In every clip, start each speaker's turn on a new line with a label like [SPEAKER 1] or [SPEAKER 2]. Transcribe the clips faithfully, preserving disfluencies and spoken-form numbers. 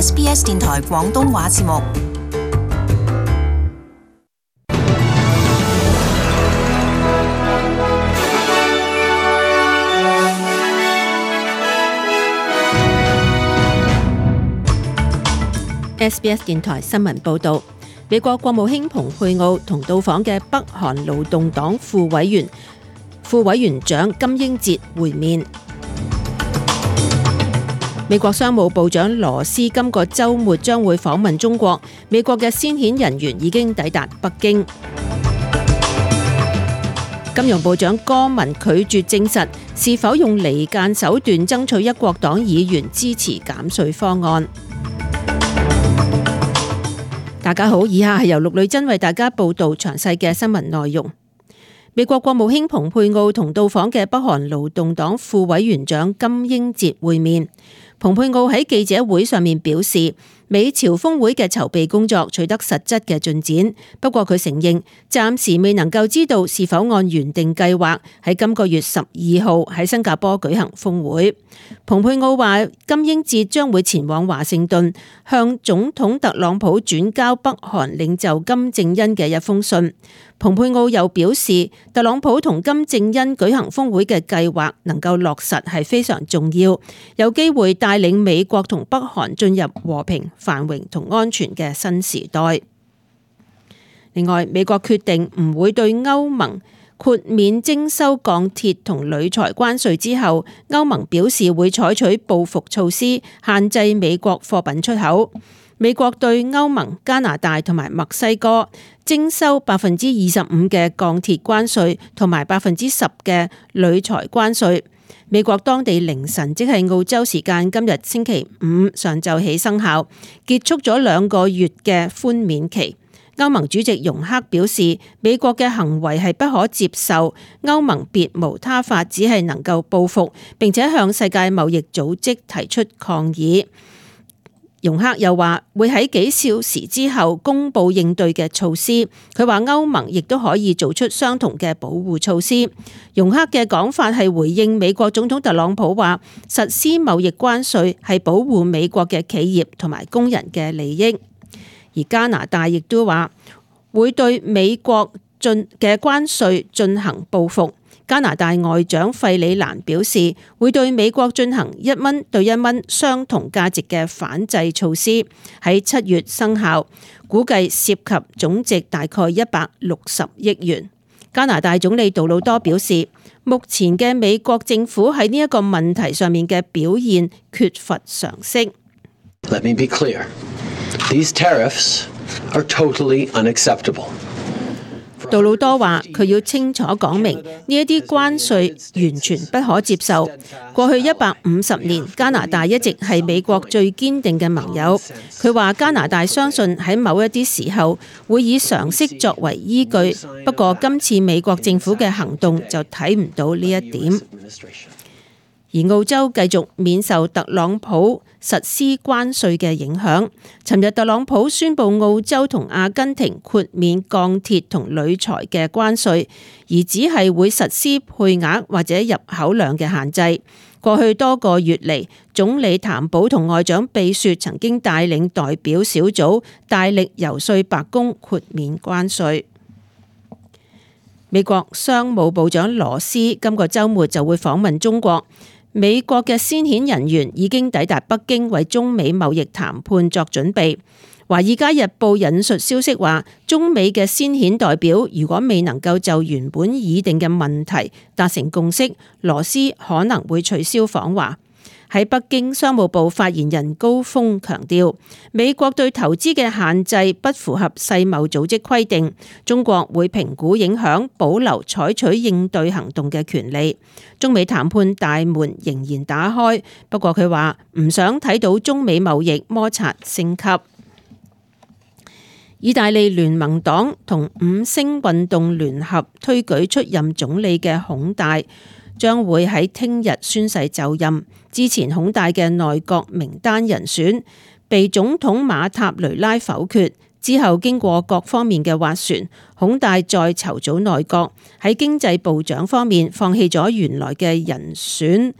[SPEAKER 1] S B S 電台廣東話節目。
[SPEAKER 2] S B S 電台新聞報導，美國國務卿蓬佩奧同到訪嘅北韓勞動黨副委員、副委員長金英哲會面。美國商務部長羅斯今個週末將會訪問中國，美國嘅先遣人員已經抵達北京。金融部長柯文拒絕證實是否用離間手段爭取一國黨議員支持減稅方案。大家好，以下係由陸女真為大家報道詳細嘅新聞內容。美國國務卿蓬佩奧同到訪嘅北韓勞動黨副委員長金英哲會面。蓬佩奧喺記者會上面表示，美朝峰會嘅籌備工作取得實質嘅進展，不過佢承認暫時未能夠知道是否按原定計劃喺今個月十二號喺新加坡舉行峰會。蓬佩奧話，金英哲將會前往華盛頓，向總統特朗普轉交北韓領袖金正恩嘅一封信。蓬佩奧又表示，特朗普同金正恩舉行峰會嘅計劃能夠落實係非常重要，有機會帶領美國同北韓進入和平、繁榮同安全嘅新時代。另外，美國決定唔會對歐盟豁免徵收鋼鐵同鋁材關稅之後，歐盟表示會採取報復措施，限制美國貨品出口。美國對歐盟、加拿大同埋墨西哥徵收百分之二十五嘅鋼鐵關稅同埋百分之十嘅鋁材關稅。美國當地凌晨，即係澳洲時間今日星期五上晝起生效，結束咗兩個月嘅寬免期。歐盟主席容克表示，美國嘅行為係不可接受，歐盟別無他法，只係能夠報復，並且向世界貿易組織提出抗議。容克又話會喺幾小時之後公布應對嘅措施。佢話歐盟亦都可以做出相同嘅保護措施。容克嘅講法係回應美國總統特朗普話實施貿易關稅係保護美國嘅企業同埋工人嘅利益。而加拿大亦都話會對美國進嘅關稅進行報復。加拿大外長費里蘭表示，會對美國進行一蚊對一蚊相同價值嘅反制措施，喺七月生效，估計涉及總值大概一百六十億元。加拿大總理杜魯多表示，目前嘅美國政府喺呢一個問題上面嘅表現缺乏常識。
[SPEAKER 3] Let me be clear. These tariffs are totally unacceptable.
[SPEAKER 2] 杜魯多話：佢要清楚講明呢一啲關稅完全不可接受。過去一百五十年，加拿大一直係美國最堅定嘅盟友。佢話加拿大相信喺某一啲時候會以常識作為依據，不過今次美國政府嘅行動就睇唔到呢一點。而澳洲繼續免受特朗普實施關稅嘅影響。尋日特朗普宣布澳洲同阿根廷豁免鋼鐵同鋁材嘅關稅，而只係會實施配額或者入口量嘅限制。過去多個月嚟，總理譚寶同外長貝雪曾經帶領代表小組大力遊說白宮豁免關稅。美國商務部長羅斯今個週末就會訪問中國。美國嘅先遣人員已經抵達北京，為中美貿易談判作準備。華爾街日報引述消息話，中美嘅先遣代表如果未能夠就原本擬定嘅問題達成共識，羅斯可能會取消訪華。喺北京，商務部發言人高峰強調，美國對投資嘅限制不符合世貿組織規定，中國會評估影響，保留採取應對行動嘅權利。中美談判大門仍然打開，不過佢話唔想睇到中美貿易摩擦升級。意大利聯盟黨同五星運動聯合推舉出任總理嘅孔戴將會喺聽日宣誓就任。之前孔戴嘅內閣名單人選被總統馬塔雷拉否決，之後經過各方面嘅斡旋，孔戴再籌組內閣。喺經濟部長方面放棄咗原來嘅人選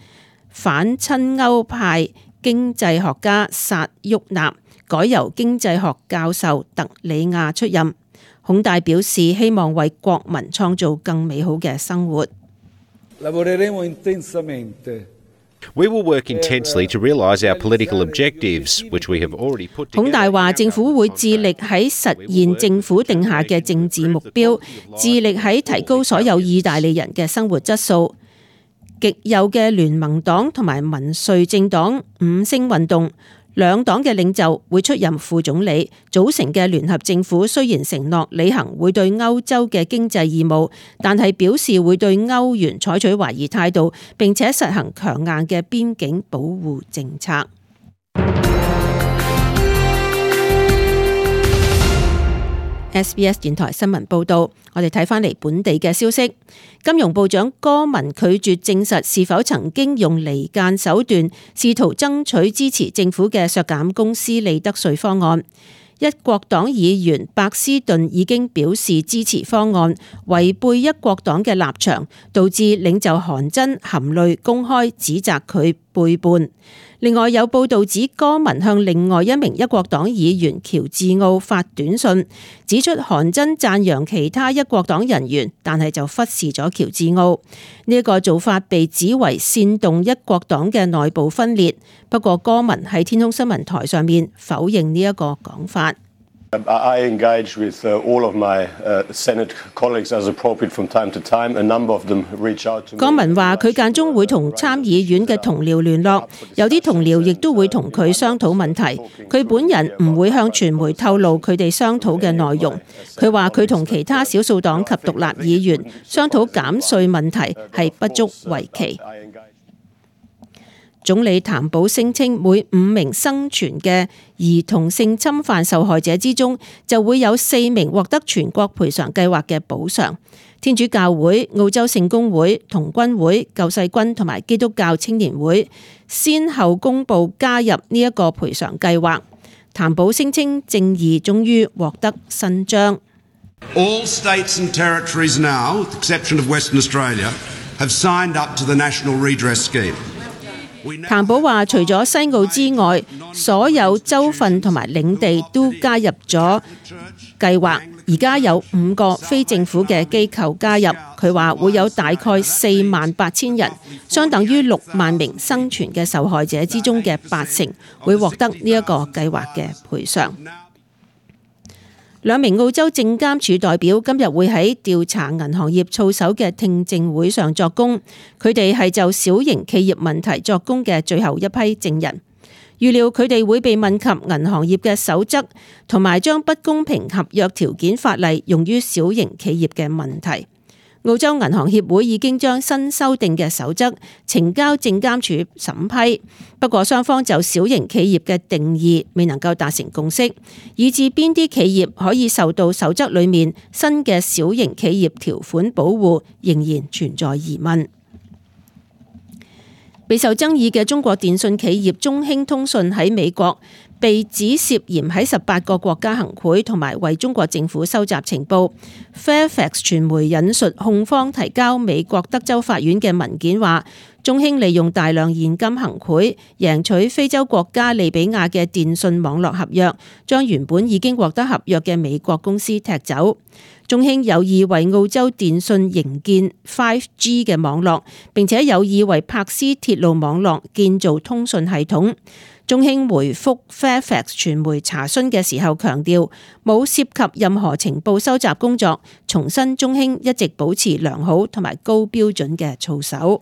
[SPEAKER 2] 反親歐派經濟學家薩沃納改由經濟學教授特里亞出任。孔大表示希望為國民創造更美好嘅生活。
[SPEAKER 4] We will work intensely to realise our political objectives, which we have already put together.
[SPEAKER 2] 孔大話政府會致力喺實現政府定下嘅政治目標，致力喺提高所有意大利人嘅生活質素。極右嘅聯盟黨同埋民粹政黨五星運動兩黨嘅領袖會出任副總理，組成嘅聯合政府雖然承諾履行會對歐洲嘅經濟義務，但係表示會對歐元採取懷疑態度，並且實行強硬嘅邊境保護政策。S B S 電台新聞報道，我哋睇返嚟本地嘅消息。金融部長柯文拒絕證實是否曾經用離間手段試圖爭取支持政府嘅削減公司利得稅方案。一國黨議員白斯頓已經表示支持方案，違背一國黨嘅立場，導致領袖韓真含淚公開指責佢背叛。另外有報道指柯文向另外一名一國黨議員喬治奧發短信，指出韓真讚揚其他一國黨人員，但係就忽視咗喬治奧。呢一個做法被指為煽動一國黨嘅內部分裂。不過柯文喺天空新聞台上面否認呢一個講法。
[SPEAKER 5] I engage with all of my Senate colleagues as appropriate from time to time. A number of them reach out to me.
[SPEAKER 2] 柯文話佢間中會同參議院嘅同僚聯絡，有啲同僚亦都會同佢商討問題。佢本人唔會向傳媒透露佢哋商討嘅內容。佢話佢同其他少數黨及獨立議員商討減稅問題係不足為奇。總理譚寶聲稱，每五名生存嘅兒童性侵犯受害者之中，就會有四名獲得全國賠償計劃嘅補償。天主教會、澳洲聖公會、童軍會、救世軍同埋基督教青年會先後公布加入呢一個賠償計劃。譚寶聲稱，正義終於獲得伸張。
[SPEAKER 6] All states and territories now, with the exception of Western Australia, have signed up to the National Redress Scheme.
[SPEAKER 2] 譚寶話，除咗西澳之外，所有州份同埋領地都加入咗計劃。而家有五個非政府嘅機構加入，佢話會有大概四萬八千人，相等於六萬名生存嘅受害者之中嘅八成，會獲得呢一個計劃嘅賠償。兩名澳洲證監處代表今日會喺調查銀行業操守嘅聽證會上作供，佢哋係就小型企業問題作供嘅最後一批證人。預料佢哋會被問及銀行業嘅守則，同埋將不公平合約條件法例用於小型企業嘅問題。澳洲銀行協會已經將新修訂嘅守則呈交證監處審批，不過雙方就小型企業嘅定義未能夠達成共識，以致邊啲企業可以受到守則裡面新嘅小型企業條款保護，仍然存在疑問。備受爭議嘅中國電信企業中興通訊喺美國被指涉嫌喺十八個國家行賄同埋為中國政府收集情報。Fairfax 傳媒引述控方提交美國德州法院嘅文件話，中興利用大量現金行賄，贏取非洲國家利比亞嘅電信網絡合約，將原本已經獲得合約嘅美國公司踢走。中興有意為澳洲電信營建 五 G 嘅網絡，並且有意為柏斯鐵路網絡建造通訊系統。中興回覆 Fairfax 傳媒查詢嘅時候強調，冇涉及任何情報收集工作，重申中興一直保持良好同埋高標準嘅操守。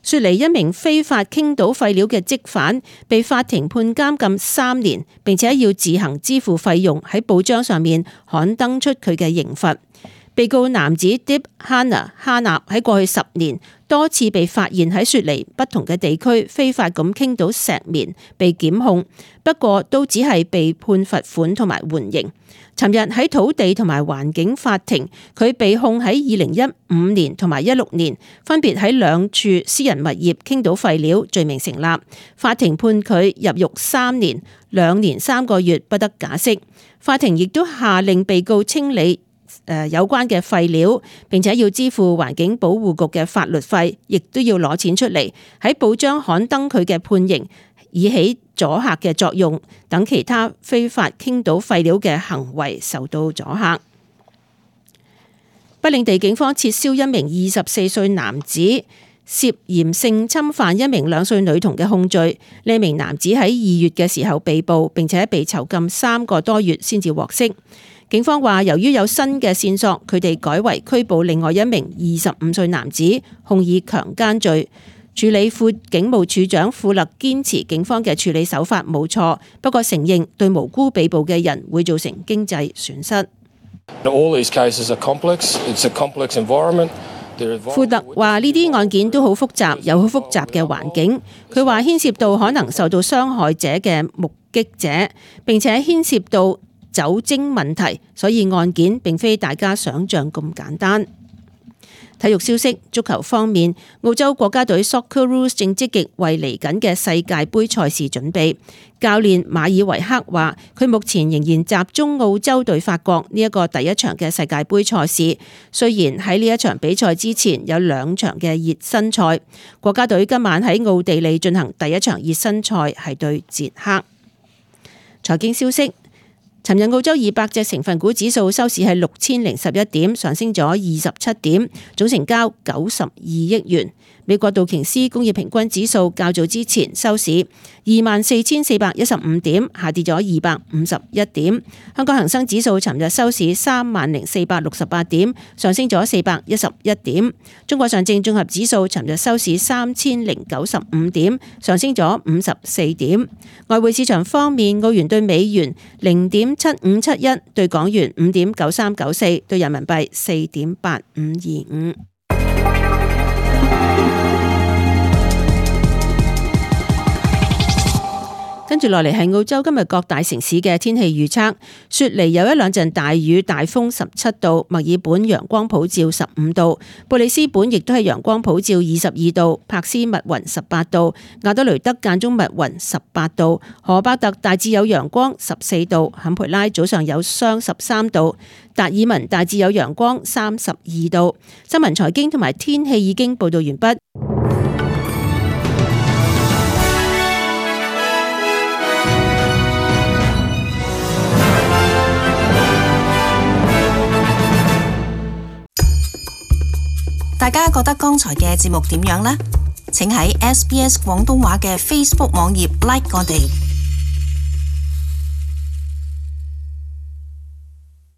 [SPEAKER 2] 雪梨一名非法傾倒廢料嘅積犯被法庭判監禁三年，並且要自行支付費用，喺報章上面刊登出佢嘅刑罰。被告男子 Dib Hana 哈納喺過去十年多次被發現喺雪梨不同嘅地區非法咁傾倒石棉，被檢控，不過都只係被判罰款同埋緩刑。尋日喺土地同埋環境法庭，佢被控喺二零一五年同埋一六年分別喺兩處私人物業傾倒廢料，罪名成立。法庭判佢入獄三年兩年三個月不得假釋。法庭亦都下令被告清理誒有關嘅廢料，並且要支付環境保護局嘅法律費，亦都要攞錢出嚟喺報章刊登佢嘅判刑，以起阻嚇嘅作用，等其他非法傾倒廢料嘅行為受到阻嚇。北領地警方撤銷一名二十四歲男子涉嫌性侵犯一名兩歲女童嘅控罪。呢名男子喺二月嘅時候被捕，並且被囚禁三個多月先至獲釋。警方話，由於有新嘅線索，佢哋改為拘捕另外一名二十五歲男子，控以強姦罪。處理副警務處長富勒堅持警方嘅處理手法冇錯，不過承認對無辜被捕嘅人會造成經濟損失。富特話呢啲案件都好複雜，有好複雜嘅環境。佢話牽涉到可能受到傷害者嘅目擊者，並且牽涉到酒精問題，所以案件並非大家想象咁簡單。體育消息，足球方面，澳洲國家隊 Socceroos 正積極為嚟緊嘅世界盃賽事準備。教練馬爾維克話，佢目前仍然集中澳洲對法國呢一個第一場嘅世界盃賽事。雖然喺呢一場比賽之前有兩場嘅熱身賽，國家隊今晚喺奧地利進行第一場熱身賽，係對捷克。財經消息。尋日澳洲二百隻成分股指數收市係六千零十一點，上升咗二十七點，總成交九十二億元。美國道瓊斯工業平均指數較早之前收市二萬四千四百一十五點，下跌咗二百五十一點。香港恒生指數尋日收市三萬零四百六十八點，上升咗四百一十一點。中國上證綜合指數尋日收市三千零九十五點，上升咗五十四點。外匯市場方面，澳元對美元零點七五七一，對港元五點九三九四，對人民幣四點八五二五。跟住落嚟係澳洲今日各大城市嘅天氣預測。雪梨有一兩陣大雨，大風十七度；墨爾本陽光普照十五度；布里斯本亦都係陽光普照二十二度；柏斯密雲十八度；亞德雷德間中密雲十八度；荷伯特大致有陽光十四度；坎培拉早上有霜十三度；達爾文大致有陽光三十二度。新聞財經同埋天氣已經報道完畢。
[SPEAKER 1] 大家覺得剛才嘅節目點樣呢？請喺 S B S 廣東話嘅 Facebook 網頁 like 我哋。